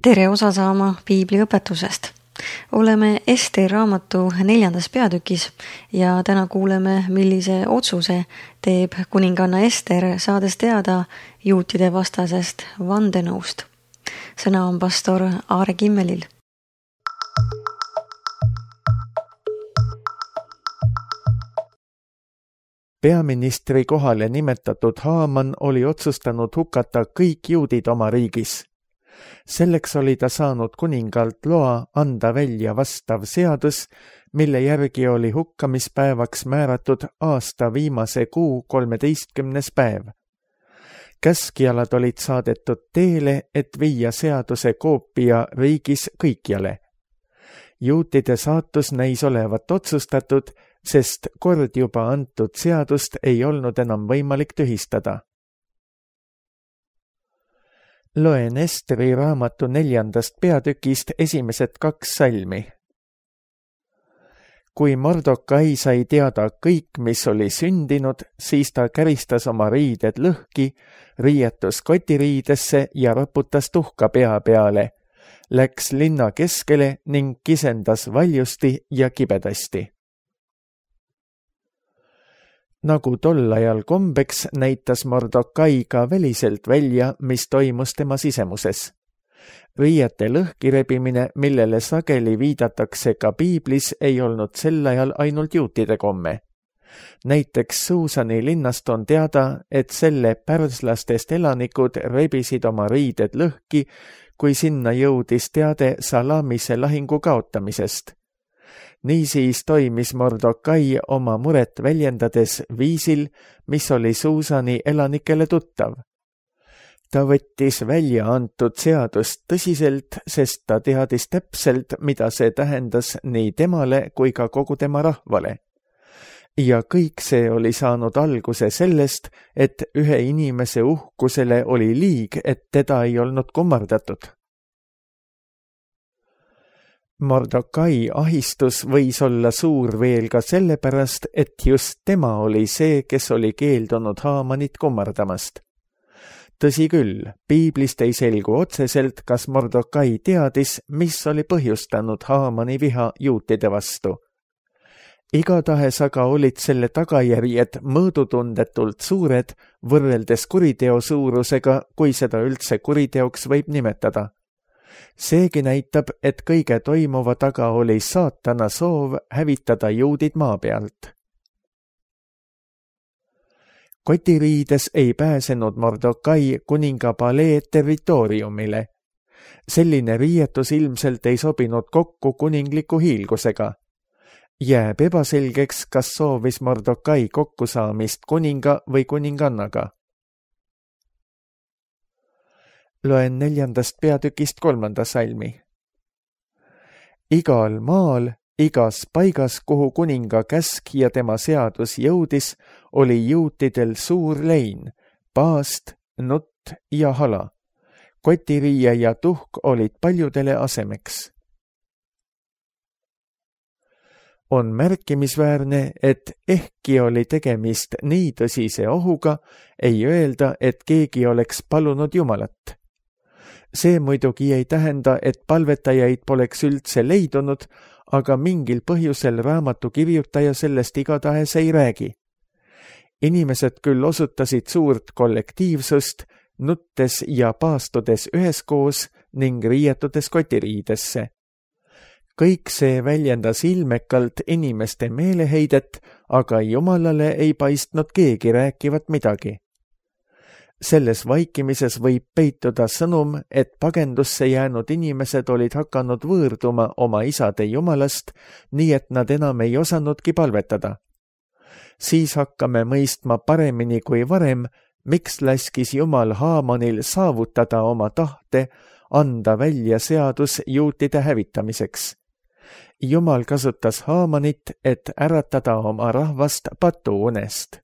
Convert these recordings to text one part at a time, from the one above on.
Tere osa saama piibliõpetusest. Oleme Esteri raamatu 4. peatükis ja täna kuuleme, millise otsuse teeb kuninganna Ester, saades teada juutide vastasest vandenõust. Sõna on pastor Aare Kimmelil. Peaministri kohale nimetatud Haaman oli otsustanud hukata kõik juudid oma riigis. Selleks oli ta saanud kuningalt loa anda välja vastav seadus, mille järgi oli hukkamispäevaks määratud aasta viimase kuu 13. päev. Käskjalad olid saadetud teele, et viia seaduse koopia riigis kõikjale. Juutide saatus näis olevat otsustatud, sest kord juba antud seadust ei olnud enam võimalik tühistada. Loen Esteri raamatu 4. peatükist esimesed 2 salmi. Kui Mordokai sai teada kõik, mis oli sündinud, siis ta käristas oma riided lõhki, riietus kotiriidesse ja raputas tuhka pea peale, läks linna keskele ning kisendas valjusti ja kibedasti. Nagu tol ajal kombeks, näitas Mordokai ka väliselt välja, mis toimus tema sisemuses. Riiete lõhkirebimine, millele sageli viidatakse ka piiblis, ei olnud sel ajal ainult juutide komme. Näiteks Suusani linnast on teada, et selle pärslastest elanikud rebisid oma riided lõhki, kui sinna jõudis teade Salamise lahingu kaotamisest. Niisiis toimis Mordokai oma muret väljendades viisil, mis oli Suusani elanikele tuttav. Ta võttis välja antud seadust tõsiselt, sest ta teadis täpselt, mida see tähendas nii temale kui ka kogu tema rahvale. Ja kõik see oli saanud alguse sellest, et ühe inimese uhkusele oli liig, et teda ei olnud kummardatud. Mordokai ahistus võis olla suur veel ka sellepärast, et just tema oli see, kes oli keeldunud Haamanit kummardamast. Tõsi küll, piiblist ei selgu otseselt, kas Mordokai teadis, mis oli põhjustanud Haamani viha juutide vastu. Igatahes aga olid selle tagajärjed mõõdutundetult suured võrreldes kuriteo suurusega, kui seda üldse kuriteoks võib nimetada. Seegi näitab, et kõige toimuva taga oli saatana soov hävitada juudid maa pealt. Kotiriides ei pääsenud Mordokai kuninga palee territooriumile. Selline riietus ilmselt ei sobinud kokku kuningliku hiilgusega. Jääb ebaselgeks, kas soovis Mordokai kokkusaamist kuninga või kuningannaga. Loen 4. peatükist 3. salmi. Igal maal, igas paigas, kuhu kuninga käsk ja tema seadus jõudis, oli juutidel suur lein, paast, nutt ja hala. Kotiriie ja tuhk olid paljudele asemeks. On märkimisväärne, et ehkki oli tegemist nii tõsise ohuga, ei öelda, et keegi oleks palunud Jumalat. See muidugi ei tähenda, et palvetajaid poleks üldse leidunud, aga mingil põhjusel raamatu kirjutaja sellest igatahes ei räägi. Inimesed küll osutasid suurt kollektiivsust, nuttes ja paastudes üheskoos ning riietudes kotiriidesse. Kõik see väljendas ilmekalt inimeste meeleheidet, aga Jumalale ei paistnud keegi rääkivat midagi. Selles vaikimises võib peituda sõnum, et pagendusse jäänud inimesed olid hakanud võõrduma oma isade Jumalast, nii et nad enam ei osanudki palvetada. Siis hakkame mõistma paremini kui varem, miks laskis Jumal Haamanil saavutada oma tahte, anda välja seadus juutide hävitamiseks. Jumal kasutas Haamanit, et äratada oma rahvast patuunest.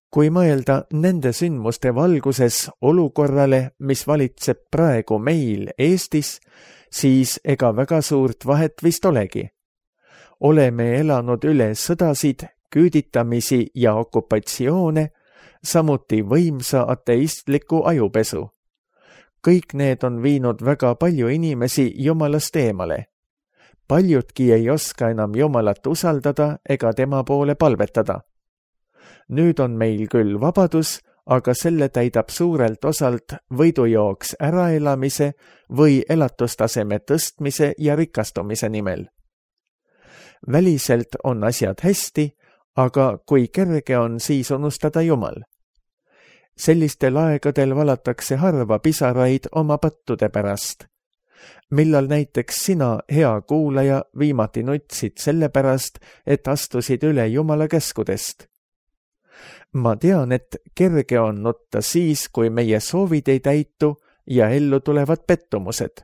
Kui mõelda nende sündmuste valguses olukorrale, mis valitseb praegu meil Eestis, siis ega väga suurt vahet vist olegi. Oleme elanud üle sõdasid, küüditamisi ja okupatsioone, samuti võimsa ateistliku ajupesu. kõik need on viinud väga palju inimesi Jumalast eemale. Paljudki ei oska enam Jumalat usaldada ega tema poole palvetada. Nüüd on meil küll vabadus, aga selle täidab suurelt osalt võidujooks äraelamise või elatustaseme tõstmise ja rikastumise nimel. Väliselt on asjad hästi, aga kui kerge on siis unustada Jumal. Sellistel aegadel valatakse harva pisaraid oma pattude pärast. Millal näiteks sina, hea kuulaja, viimati nutsid selle pärast, et astusid üle Jumala käskudest? Ma tean, et kerge on nutta siis, kui meie soovid ei täitu ja ellu tulevad pettumused.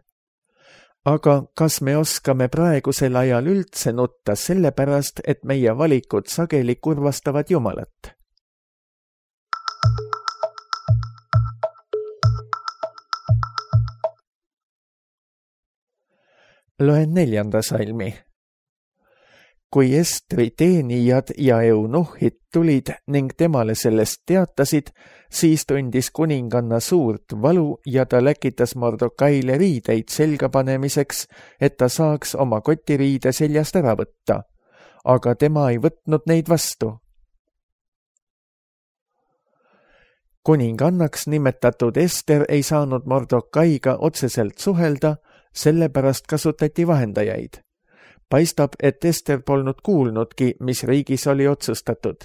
Aga kas me oskame praegusel ajal üldse nutta selle pärast, et meie valikud sageli kurvastavad Jumalat? Loen 4. salmi. Kui Estri teenijad ja eunuhhid tulid ning temale sellest teatasid, siis tundis kuninganna suurt valu ja ta läkitas Mordokaile riideid selga panemiseks, et ta saaks oma kotiriide seljast ära võtta, aga tema ei võtnud neid vastu. Kuningannaks nimetatud Ester ei saanud Mordokaiga otseselt suhelda, sellepärast kasutati vahendajaid. Paistab, et Ester polnud kuulnudki, mis riigis oli otsustatud.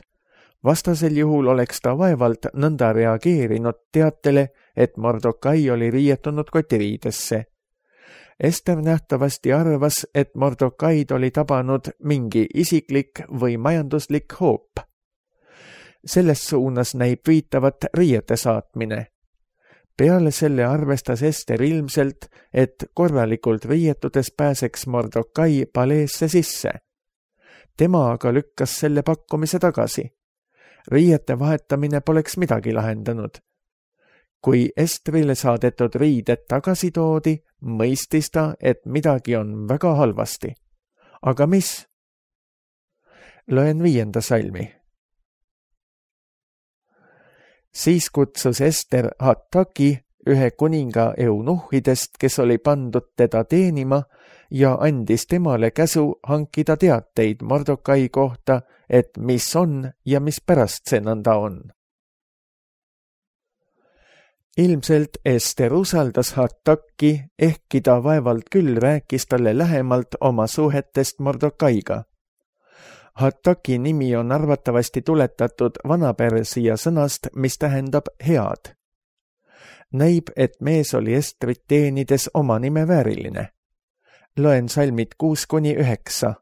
Vastasel juhul oleks ta vaevalt nõnda reageerinud teatele, et Mordokai oli riietunud kotiriidesse. Ester nähtavasti arvas, et Mordokaid oli tabanud mingi isiklik või majanduslik hoop. Selles suunas näib viitavat riiete saatmine. Peale selle arvestas Ester ilmselt, et korralikult riietudes pääseks Mordokai paleesse sisse. Tema aga lükkas selle pakkumise tagasi. Riiete vahetamine poleks midagi lahendanud. Kui Estrile saadetud riided tagasi toodi, mõistis ta, et midagi on väga halvasti. Aga mis? Loen 5. salmi. Siis kutsus Ester Hataki, ühe kuninga eunuhhidest, kes oli pandud teda teenima, ja andis temale käsu hankida teateid Mordokai kohta, et mis on ja mis pärast see nõnda on. Ilmselt Ester usaldas Hataki, ehkki ta vaevalt küll rääkis talle lähemalt oma suhetest Mordokaiga. Hataki nimi on arvatavasti tuletatud vanapersia sõnast, mis tähendab head. Näib, et mees oli Estrit teenides oma nime vääriline. Loen salmid 6-9.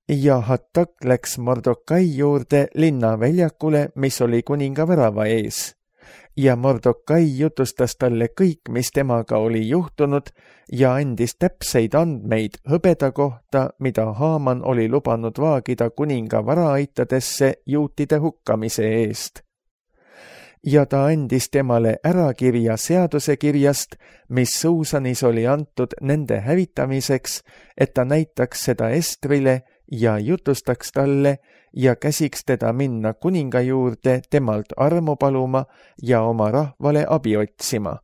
Ja Hatak läks Mordokai juurde linnaväljakule, mis oli kuninga värava ees. Ja Mordokai jutustas talle kõik, mis temaga oli juhtunud ja andis täpseid andmeid hõbeda kohta, mida Haaman oli lubanud vaagida kuninga varaaitadesse juutide hukkamise eest. Ja ta andis temale ärakirja seadusekirjast, mis Suusanis oli antud nende hävitamiseks, et ta näitaks seda Estrile ja jutustaks talle ja käsiks teda minna kuninga juurde temalt armu paluma ja oma rahvale abi otsima.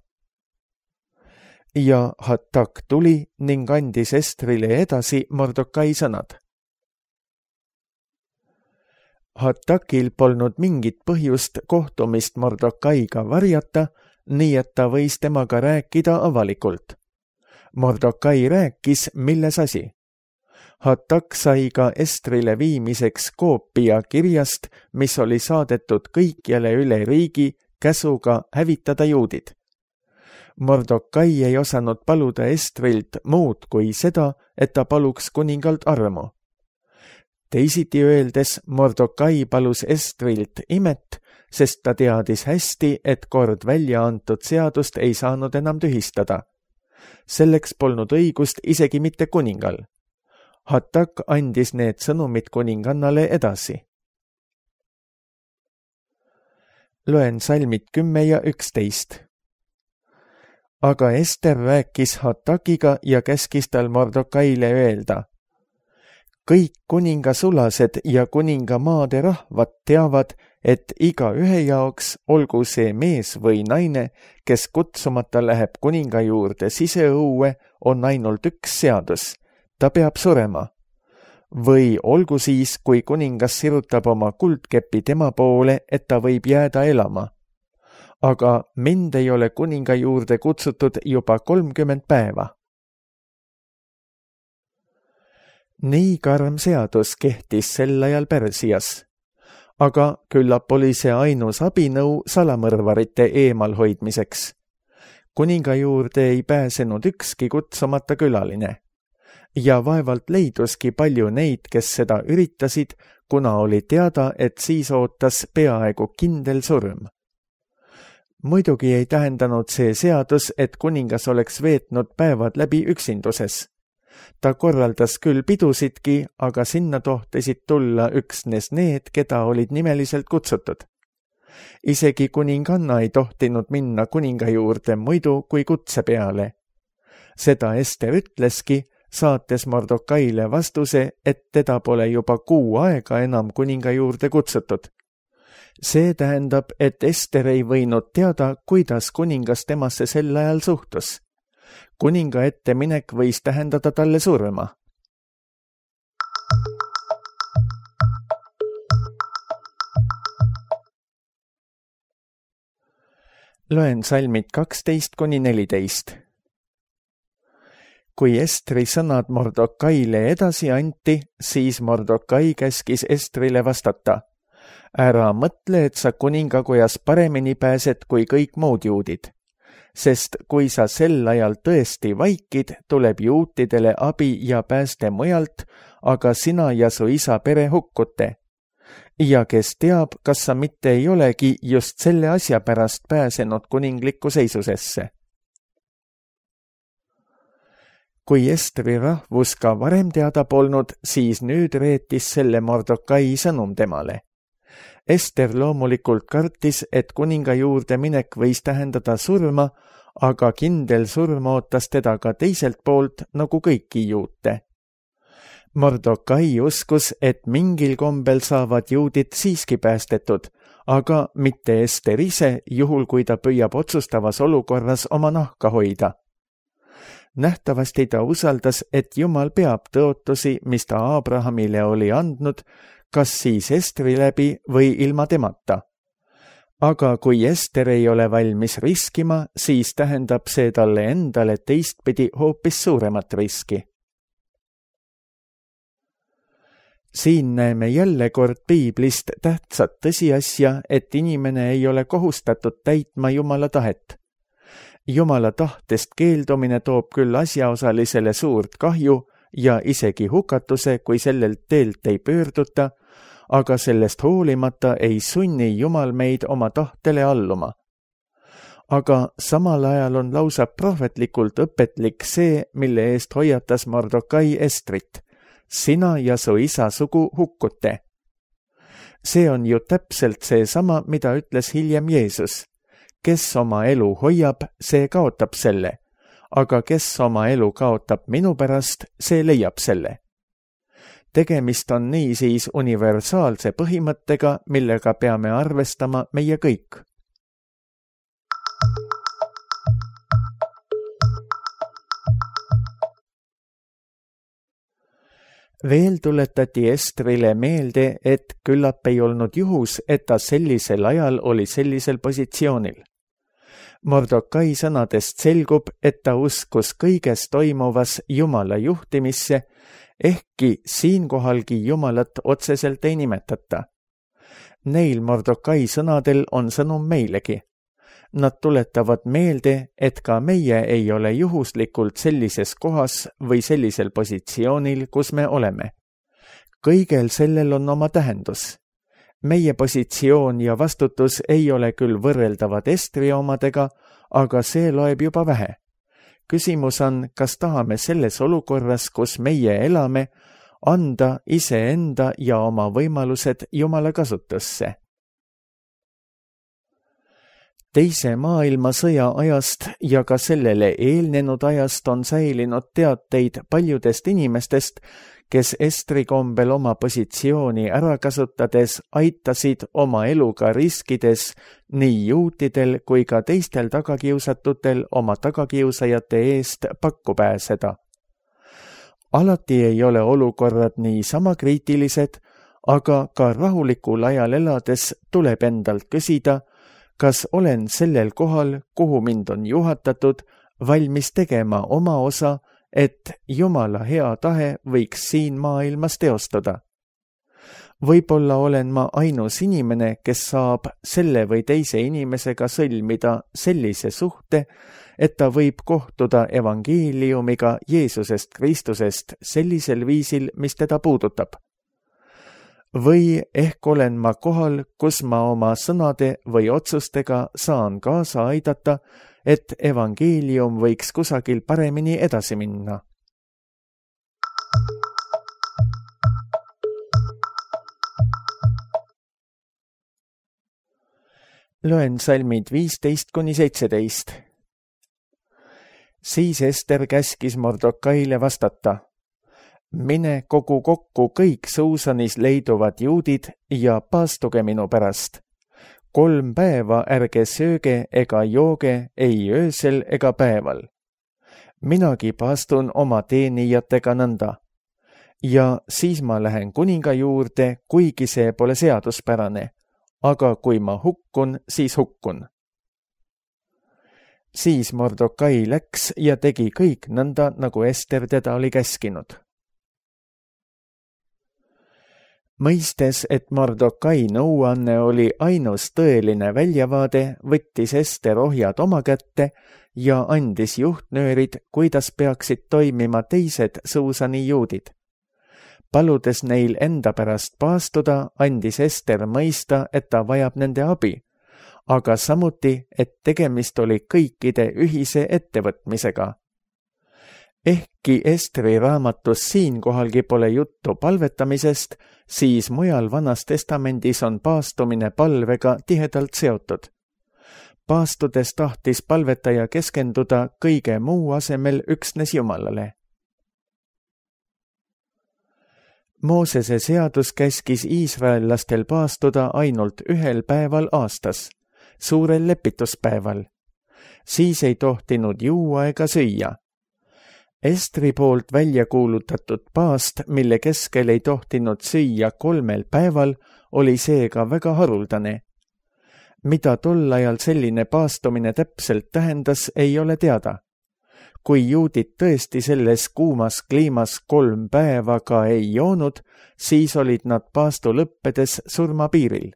Ja Hatak tuli ning andis Estrile edasi Mordokai sõnad. Hatakil polnud mingit põhjust kohtumist Mordokaiga varjata, nii et ta võis temaga rääkida avalikult. Mordokai rääkis, milles asi. Hatak sai ka Estrile viimiseks koopia kirjast, mis oli saadetud kõikjale üle riigi käsuga hävitada juudid. Mordokai ei osanud paluda Estrilt muud kui seda, et ta paluks kuningalt armu. Teisiti öeldes, Mordokai palus Estrilt imet, sest ta teadis hästi, et kord välja antud seadust ei saanud enam tühistada. Selleks polnud õigust isegi mitte kuningal. Hatak andis need sõnumid kuningannale edasi. Loen salmid 10 ja 11. Aga Ester rääkis Hatakiga ja käskis tal Mordokaile öelda. kõik kuningasulased ja kuningamaade rahvad teavad, et igaühe jaoks, olgu see mees või naine, kes kutsumata läheb kuninga juurde siseõue, on ainult üks seadus. Ta peab surema. Või olgu siis, kui kuningas sirutab oma kuldkepi tema poole, et ta võib jääda elama. Aga mind ei ole kuninga juurde kutsutud juba 30 päeva. Nii karm seadus kehtis sel ajal Pärsias. Aga küllap oli see ainus abinõu salamõrvarite eemalhoidmiseks. Kuninga juurde ei pääsenud ükski kutsumata külaline. Ja vaevalt leiduski palju neid, kes seda üritasid, kuna oli teada, et siis ootas peaaegu kindel surm. Muidugi ei tähendanud see seadus, et kuningas oleks veetnud päevad läbi üksinduses. Ta korraldas küll pidusidki, aga sinna tohtisid tulla üksnes need, keda olid nimeliselt kutsutud. Isegi kuninganna ei tohtinud minna kuninga juurde muidu kui kutse peale. Seda Ester ütleski, saates Mordokaile vastuse, et teda pole juba 6 aega enam kuninga juurde kutsutud. See tähendab, et Ester ei võinud teada, kuidas kuningas temasse sel ajal suhtus. Kuninga ette minek võis tähendada talle surma. Loen salmid 12-14. Kui Estri sõnad Mordokaile edasi anti, siis Mordokai käskis Estrile vastata. Ära mõtle, et sa kuningakojas paremini pääsed kui kõik muud juudid. Sest kui sa sel ajal tõesti vaikid, tuleb juutidele abi ja pääste mujalt, aga sina ja su isa pere hukkute. Ja kes teab, kas sa mitte ei olegi just selle asja pärast pääsenud kuninglikku seisusesse. Kui Estri rahvus ka varem teada polnud, siis nüüd reetis selle Mordokai sõnum temale. Ester loomulikult kartis, et kuninga juurde minek võis tähendada surma, aga kindel surm ootas teda ka teiselt poolt nagu kõiki juute. Mordokai uskus, et mingil kombel saavad juudid siiski päästetud, aga mitte Ester ise, juhul kui ta püüab otsustavas olukorras oma nahka hoida. Nähtavasti ta usaldas, et Jumal peab tõotusi, mis ta Abrahamile oli andnud, kas siis Estri läbi või ilma temata. Aga kui Ester ei ole valmis riskima, siis tähendab see talle endale teistpidi hoopis suuremat riski. Siin näeme jälle kord piiblist tähtsat tõsiasja, et inimene ei ole kohustatud täitma Jumala tahet. Jumala tahtest keeldumine toob küll asjaosalisele suurt kahju ja isegi hukatuse, kui sellelt teelt ei pöörduta, aga sellest hoolimata ei sunni Jumal meid oma tahtele alluma. Aga samal ajal on lausa prohvetlikult õpetlik see, mille eest hoiatas Mordokai Estrit. Sina ja su isa sugu hukkute. See on ju täpselt seesama, mida ütles hiljem Jeesus. Kes oma elu hoiab, see kaotab selle, aga kes oma elu kaotab minu pärast, see leiab selle. Tegemist on niisiis universaalse põhimõttega, millega peame arvestama meie kõik. Veel tuletati Estrile meelde, et küllap ei olnud juhus, et ta sellisel ajal oli sellisel positsioonil. Mordokai sõnadest selgub, et ta uskus kõiges toimuvas Jumala juhtimisse, ehkki siinkohalgi Jumalat otseselt ei nimetata. Neil Mordokai sõnadel on sõnum meilegi. Nad tuletavad meelde, et ka meie ei ole juhuslikult sellises kohas või sellisel positsioonil, kus me oleme. Kõigel sellel on oma tähendus. Meie positsioon ja vastutus ei ole küll võrreldavad Estri omadega, aga see loeb juba vähe. Küsimus on, kas tahame selles olukorras, kus meie elame, anda iseenda ja oma võimalused Jumala kasutusse. Teise maailmasõja ajast ja ka sellele eelnenud ajast on säilinud teateid paljudest inimestest, kes Estri kombel oma positsiooni ära kasutades aitasid oma eluga riskides nii juutidel kui ka teistel tagakiusatutel oma tagakiusajate eest pakku pääseda. Alati ei ole olukorrad niisama kriitilised, aga ka rahulikul ajal elades tuleb endalt küsida, kas olen sellel kohal, kuhu mind on juhatatud, valmis tegema oma osa, et Jumala hea tahe võiks siin maailmas teostuda. Võib-olla olen ma ainus inimene, kes saab selle või teise inimesega sõlmida sellise suhte, et ta võib kohtuda evangeeliumiga Jeesusest Kristusest sellisel viisil, mis teda puudutab. Või ehk olen ma kohal, kus ma oma sõnade või otsustega saan kaasa aidata, et evangeelium võiks kusagil paremini edasi minna. Loen salmid 15-17. Siis Ester käskis Mordokaile vastata. Mine kogu kokku kõik Suusanis leiduvad juudid ja paastuge minu pärast. 3 päeva ärge sööge ega jooge ei öösel ega päeval. Minagi paastun oma teenijatega nõnda. Ja siis ma lähen kuninga juurde, kuigi see pole seaduspärane. Aga kui ma hukkun, siis hukkun. Siis Mordokai läks ja tegi kõik nõnda, nagu Ester teda oli käskinud. Mõistes, et Mordokai nõuanne oli ainus tõeline väljavaade, võttis Ester ohjad oma kätte ja andis juhtnöörid, kuidas peaksid toimima teised Suusani juudid. Paludes neil enda pärast paastuda, andis Ester mõista, et ta vajab nende abi, aga samuti, et tegemist oli kõikide ühise ettevõtmisega. Ehkki Estri raamatus siinkohalgi pole juttu palvetamisest, siis mujal Vanas Testamendis on paastumine palvega tihedalt seotud. Paastudes tahtis palvetaja keskenduda kõige muu asemel üksnes Jumalale. Moosese seadus käskis iisraellastel paastuda ainult 1 päeval aastas, suurel lepituspäeval. Siis ei tohtinud juua ega süüa. Estri poolt välja kuulutatud paast, mille keskel ei tohtinud süüa 3 päeval, oli seega väga haruldane. Mida tol ajal selline paastumine täpselt tähendas, ei ole teada. Kui juudid tõesti selles kuumas kliimas 3 päeva ka ei joonud, siis olid nad paastu lõppedes surmapiiril.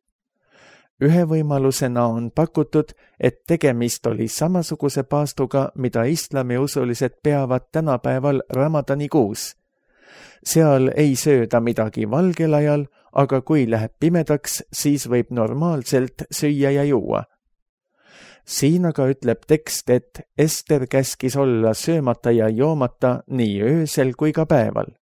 Ühe võimalusena on pakutud, et tegemist oli samasuguse paastuga, mida islamiusulised peavad tänapäeval Ramadanikuus. Seal ei sööda midagi valgel ajal, aga kui läheb pimedaks, siis võib normaalselt süüa ja juua. Siin aga ütleb tekst, et Ester käskis olla söömata ja joomata nii öösel kui ka päeval.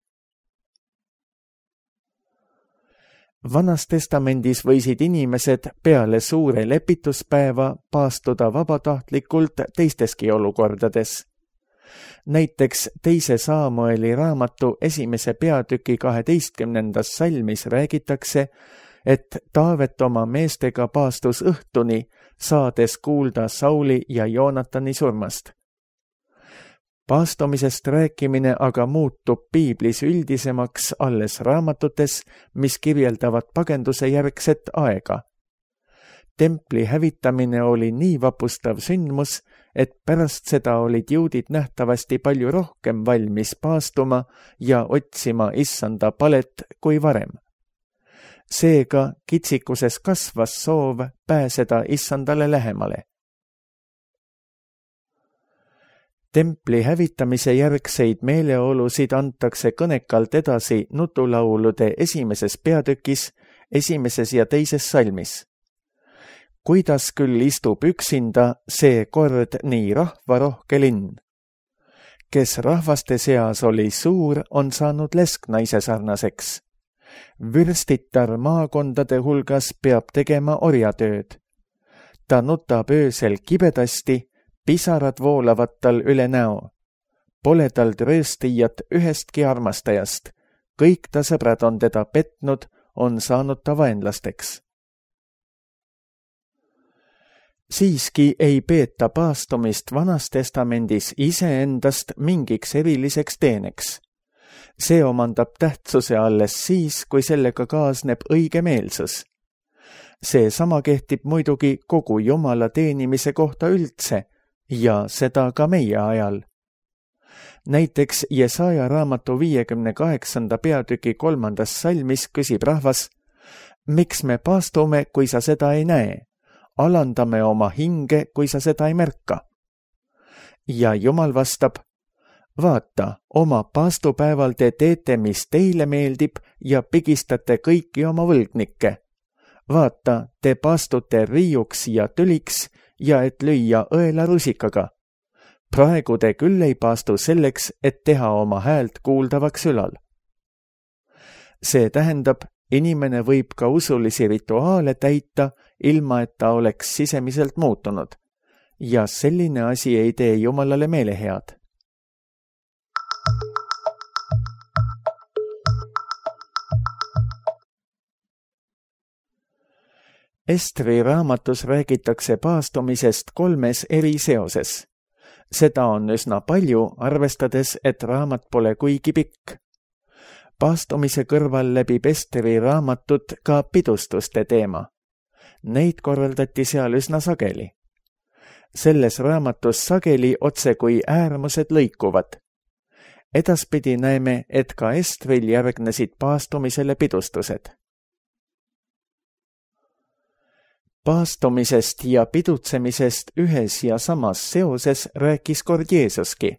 Vanas Testamendis võisid inimesed peale suure lepituspäeva paastuda vabatahtlikult teisteski olukordades. Näiteks 2 Saamueli raamatu 1. peatüki 12. salmis räägitakse, et Taavet oma meestega paastus õhtuni, saades kuulda Sauli ja Joonatani surmast. Paastumisest rääkimine aga muutub piiblis üldisemaks alles raamatutes, mis kirjeldavad pagenduse järgset aega. Templi hävitamine oli nii vapustav sündmus, et pärast seda olid juudid nähtavasti palju rohkem valmis paastuma ja otsima issanda palet kui varem. Seega kitsikuses kasvas soov pääseda issandale lähemale. Templi hävitamise järgseid meeleolusid antakse kõnekalt edasi nutulaulude 1. peatükis, 1. ja 2. salmis. Kuidas küll istub üksinda see kord nii rahvarohke linn? Kes rahvaste seas oli suur, on saanud lesknaise sarnaseks. Vürstitar maakondade hulgas peab tegema orjatööd. ta nutab öösel kibedasti, pisarad voolavad tal üle näo. Pole tal trööstijat ühestki armastajast, kõik ta sõbrad on teda petnud, on saanud ta vaenlasteks. Siiski ei peeta paastumist Vanas Testamendis iseendast mingiks eriliseks teeneks. See omandab tähtsuse alles siis, kui sellega kaasneb õigemeelsus. See sama kehtib muidugi kogu Jumala teenimise kohta üldse ja seda ka meie ajal. Näiteks Jesaja raamatu 58. peatüki 3. salmis küsib rahvas, miks me paastume, kui sa seda ei näe? Alandame oma hinge, kui sa seda ei märka. Ja Jumal vastab, vaata, oma paastupäeval te teete, mis teile meeldib ja pigistate kõiki oma võlgnikke. Vaata, te paastute riiuks ja tüliks ja et lüüa õela rusikaga. Praegu te küll ei paastu selleks, et teha oma häält kuuldavaks ülal. See tähendab, inimene võib ka usulisi rituaale täita, ilma et ta oleks sisemiselt muutunud. Ja selline asi ei tee Jumalale meelehead. Estri raamatus räägitakse paastumisest 3 eri seoses. Seda on üsna palju, arvestades, et raamat pole kuigi pikk. Paastumise kõrval läbib Estri raamatut ka pidustuste teema. Neid korraldati seal üsna sageli. Selles raamatus sageli otse kui äärmused lõikuvad. Edaspidi näeme, et ka Estril järgnesid paastumisele pidustused. Paastumisest ja pidutsemisest ühes ja samas seoses rääkis kord Jeesuski.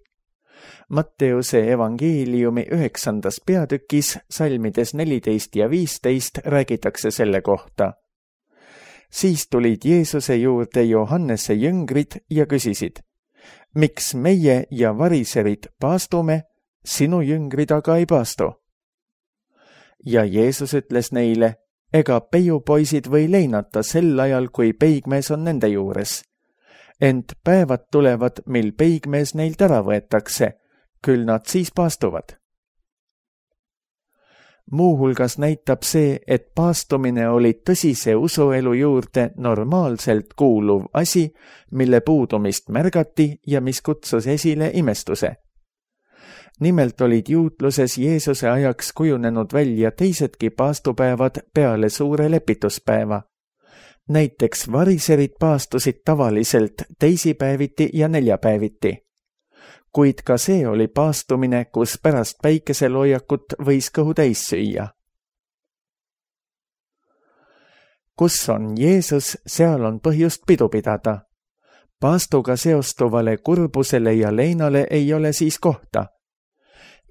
Matteuse evangeeliumi 9. peatükis salmides 14 ja 15 räägitakse selle kohta. Siis tulid Jeesuse juurde Johannese jüngrid ja küsisid, miks meie ja variserid paastume, sinu jüngrid aga ei paastu? Ja Jeesus ütles neile, ega peiupoisid või leinata sel ajal, kui peigmees on nende juures. Ent päevad tulevad, mil peigmees neilt ära võetakse, küll nad siis paastuvad. Muuhulgas näitab see, et paastumine oli tõsise usuelu juurde normaalselt kuuluv asi, mille puudumist märgati ja mis kutsus esile imestuse. Nimelt olid juutluses Jeesuse ajaks kujunenud välja teisedki paastupäevad peale suure lepituspäeva. Näiteks variserid paastusid tavaliselt teisipäeviti ja neljapäeviti. Kuid ka see oli paastumine, kus pärast päikeseloojakut võis kõhu täis süüa. Kus on Jeesus, seal on põhjust pidu pidada. Paastuga seostuvale kurbusele ja leinale ei ole siis kohta.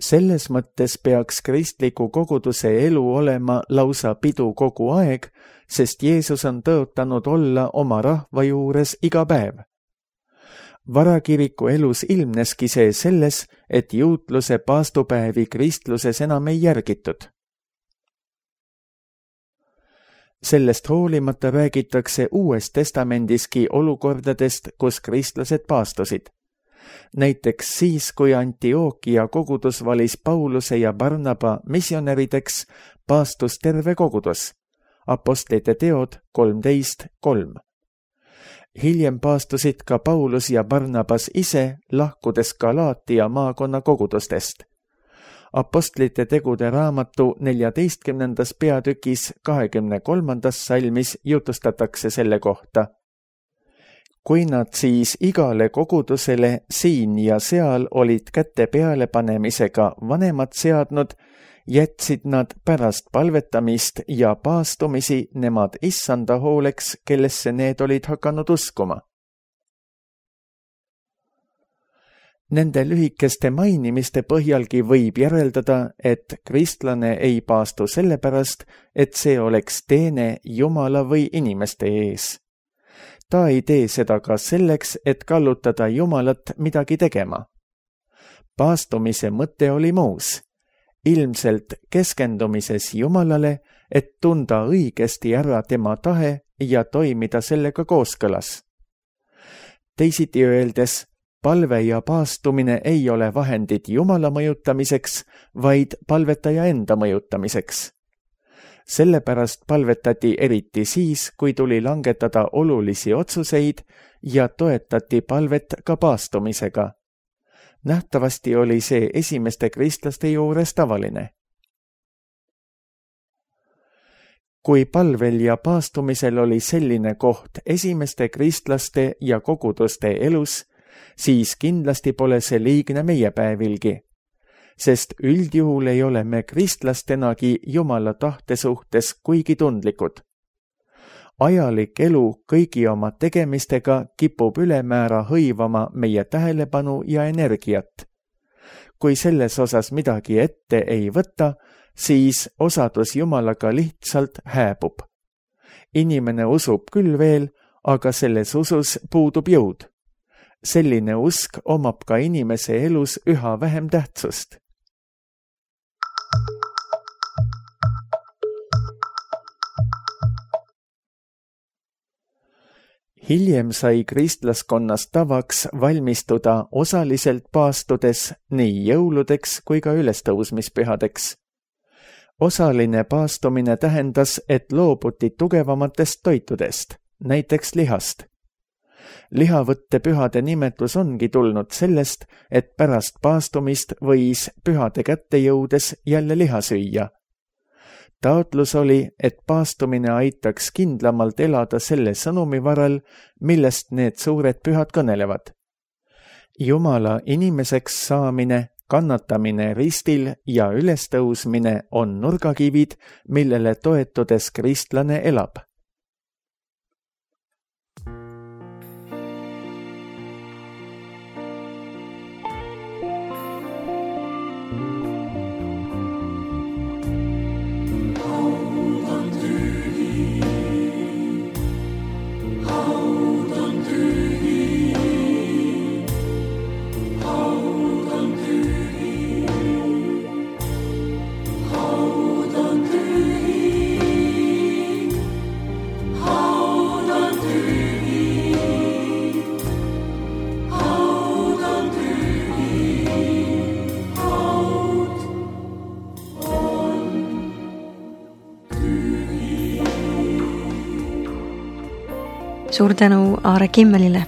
Selles mõttes peaks kristliku koguduse elu olema lausa pidu kogu aeg, sest Jeesus on tõotanud olla oma rahva juures iga päev. Varakiriku elus ilmneski see selles, et juutluse paastupäevi kristluses enam ei järgitud. Sellest hoolimata räägitakse Uues Testamendiski olukordadest, kus kristlased paastusid. Näiteks siis, kui Antiookia kogudus valis Pauluse ja Barnaba missionärideks, paastus terve kogudus. Apostlite teod 13:3. Hiljem paastusid ka Paulus ja Barnabas ise, lahkudes Galaatia maakonna kogudustest. Apostlite tegude raamatu 14. peatükis 23. salmis jutustatakse selle kohta. Kui nad siis igale kogudusele siin ja seal olid käte pealepanemisega vanemad seadnud, jätsid nad pärast palvetamist ja paastumisi nemad issanda hooleks, kellesse need olid hakanud uskuma. Nende lühikeste mainimiste põhjalgi võib järeldada, et kristlane ei paastu sellepärast, et see oleks teene Jumala või inimeste ees. Ta ei tee seda ka selleks, et kallutada Jumalat midagi tegema. Paastumise mõte oli muus. Ilmselt keskendumises Jumalale, et tunda õigesti ära tema tahe ja toimida sellega kooskõlas. Teisiti öeldes, palve ja paastumine ei ole vahendid Jumala mõjutamiseks, vaid palvetaja enda mõjutamiseks. Sellepärast palvetati eriti siis, kui tuli langetada olulisi otsuseid ja toetati palvet ka paastumisega. Nähtavasti oli see esimeste kristlaste juures tavaline. Kui palvel ja paastumisel oli selline koht esimeste kristlaste ja koguduste elus, siis kindlasti pole see liigne meie päevilgi, sest üldjuhul ei ole me kristlastenagi Jumala tahte suhtes kuigi tundlikud. Ajalik elu kõigi oma tegemistega kipub ülemäära hõivama meie tähelepanu ja energiat. Kui selles osas midagi ette ei võta, siis osadus Jumalaga lihtsalt hääbub. Inimene usub küll veel, aga selles usus puudub jõud. Selline usk omab ka inimese elus üha vähem tähtsust. Hiljem sai kristlaskonnas tavaks valmistuda osaliselt paastudes nii jõuludeks kui ka ülestõusmispühadeks. Osaline paastumine tähendas, et loobuti tugevamatest toitudest, näiteks lihast. Lihavõtte pühade nimetus ongi tulnud sellest, et pärast paastumist võis pühade kätte jõudes jälle liha süüa. Taotlus oli, et paastumine aitaks kindlamalt elada selle sõnumi varal, millest need suured pühad kõnelevad. Jumala inimeseks saamine, kannatamine ristil ja ülestõusmine on nurgakivid, millele toetudes kristlane elab. Suur tänu Aare Kimmelile.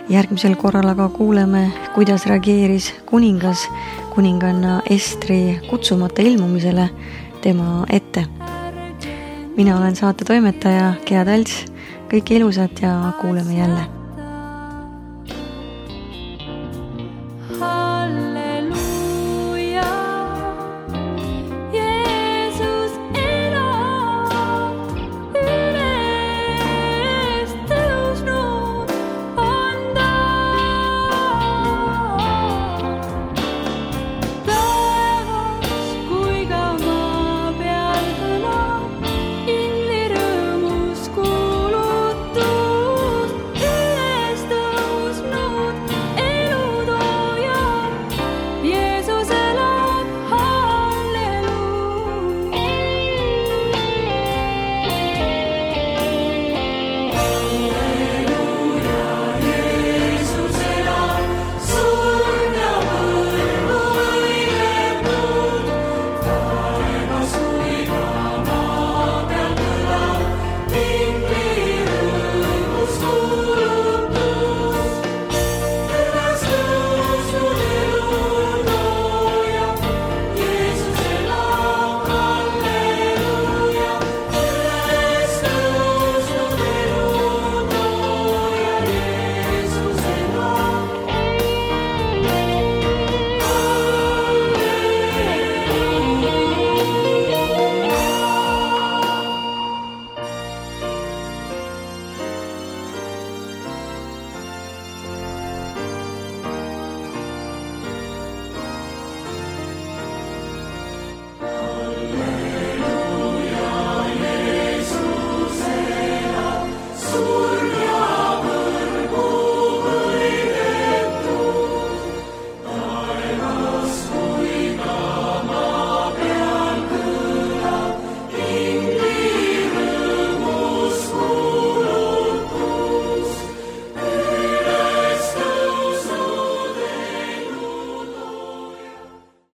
Järgmisel korral aga kuuleme, kuidas reageeris kuningas kuninganna Estri kutsumata ilmumisele tema ette. Mina olen saate toimetaja Gea Talts. Kõike ilusat ja kuuleme jälle.